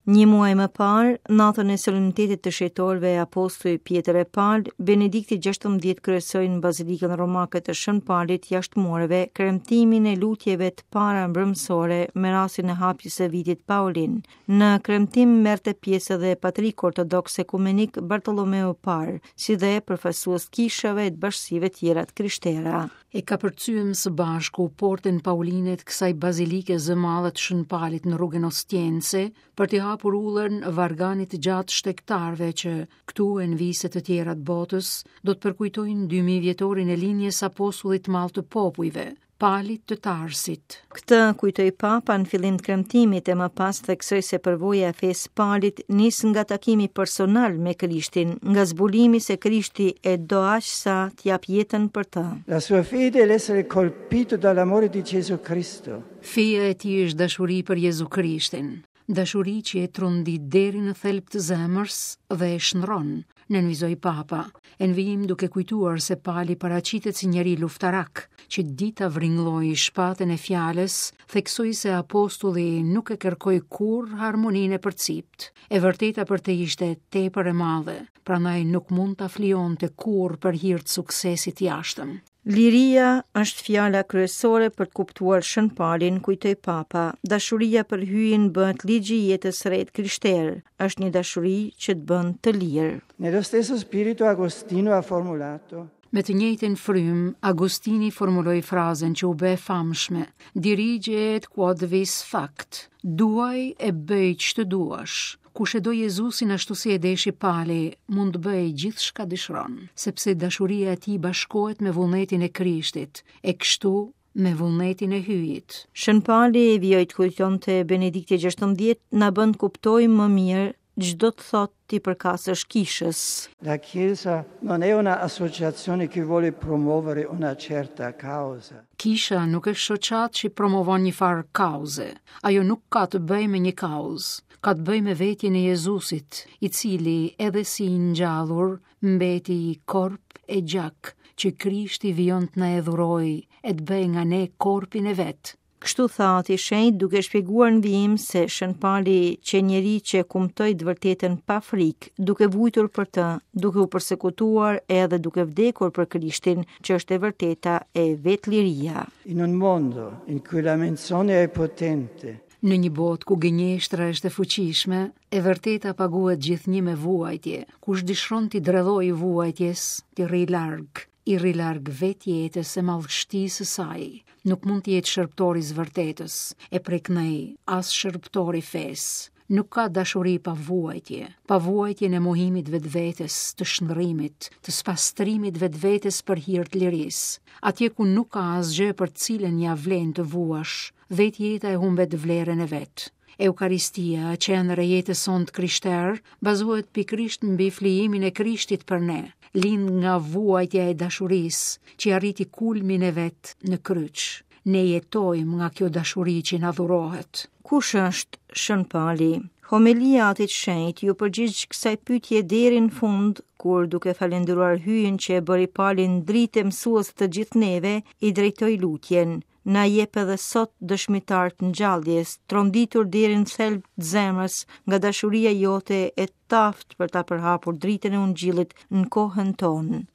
Një muaj më parë, natën e solemnitetit të Shenjtorëve Apostuj Pjetër e Pal, Benedikti XVI kryesoi në Bazilikën Romake të Shën Palit jashtë mureve kremtimin e lutjeve të para mbrëmësore me rastin e hapjes së vitit Paulin. Në kremtim merrte pjesë edhe Patriku Ortodoks Ekumenik Bartolomeu i Parë, si dhe përfaqësues të kishave e të bashkësive tjera të krishtera. E kapërcyem së bashku portën pauline të kësaj bazilike zëmadhe të Shën Palit në rrugën Ostiense për t'i hapur udhën varganit të gjatë të shtegtarëve që këtu e në vise të tjera të botës do të përkujtojnë 2000 vjetorin e lindjes së apostullit të madh të popujve, Palit të Tarsit. Këtë kujtoi Papa në fillim të kremtimit e më pas theksoi se përvoja e fesë së Palit nis nga takimi personal me Krishtin, nga zbulimi se Krishti e do aq sa të japë jetën për të. La sua fede è l'essere colpito dall'amore di Gesù Cristo. Feja e tij është dashuri për Jezu Krishtin, dashuri që e trondit deri në thelb të zemrës dhe e shndërron, nënvizoi Papa, e në vijim duke kujtuar se Pali paraqitet si njeri luftarak, që di ta vringllojë shpatën e fjalës, theksoi se apostulli nuk e kërkoi kurrë harmoninë e përciptë. E vërteta për të ishte tepër e madhe, prandaj nuk mund ta flijonte kurrë për hir të suksesit të jashtëm. Liria është fjala kryesore për të kuptuar Shën Palin, kujtoi Papa. Dashuria për Hyjin bëhet ligji i jetës së re të krishterë. Është një dashuri që të bën të lirë. Nello stesso spirito Agostino ha formulato Me të njëjtën frymë, Agostini formuloi frazën që u bë e famshme, Dirige et quod vis fac, duaj e bëj ç'të duash. Kush e do Jezusin ashtu si e deshi Pali, mund të bëjë gjithçka dëshiron, sepse dashuria e tij bashkohet me vullnetin e Krishtit, e kështu me vullnetin e Hyjit. Shën Pali, vijoi të kujtonte Benedikti XVI, na bën të kuptojmë më mirë ç'do të thotë t'i përkasësh kishës. La Chiesa non è una associazione che vuole promuovere una certa causa. Kisha nuk është shoqatë që promovon një farë kauze. Ajo nuk ka të bëjë me një kauzë. Ka të bëjë me vetjen e Jezusit, i cili edhe si i ngjallur mbeti korp e gjak që Krishti vijon të na e dhurojë e të bëjë nga ne korpin e vet. Kështu tha Ati i Shenjtë duke shpjeguar në vijim se Shën Pali qe njeri që kumtoi të vërtetën pa frikë, duke vujtur për të, duke u persekutuar edhe duke vdekur për Krishtin, që është e vërteta e vetë liria. In un mondo in cui la menzogna è potente, Në një botë ku gënjeshtra është e fuqishme, e vërteta paguhet gjithnjë me vuajtje. Kush dëshiron t'i dredhojë vuajtjes, t'i rrijë larg, i rri larg vetë jetës e madhështisë së saj. Nuk mund të jetë shërbëtor i së vërtetës, e prej këndej as shërbëtor i fesë. Nuk ka dashuri pa vuajtje, pa vuajtjen e mohimit vetvetes, të shndërrimit, të spastrimit vetvetes për hir të lirisë. Atje ku nuk ka asgjë për të cilën ia vlen të vuash, Vetë jeta e humbet vlerën e vet. Eukaristia, qendër e jetës sonë të krishterë, bazohet pikërisht mbi flijimin e Krishtit për ne, lind nga vuajtja e dashurisë, që arriti kulmin e vet në kryq. Ne jetojmë nga kjo dashuri që na dhurohet. Kush është Shën Pali? Homelia e Atit të Shenjtë iu përgjigj kësaj pyetje deri në fund, kur duke falënderuar Hyjin që e bëri Palin dritë e mësues të gjithë neve, i drejtoi lutjen. Na jep edhe sot dëshmitarë të ngjalljes, tronditur deri në thelb të zemrës nga dashuria jote e të aftë për ta përhapur dritën e Ungjillit në kohën tonë.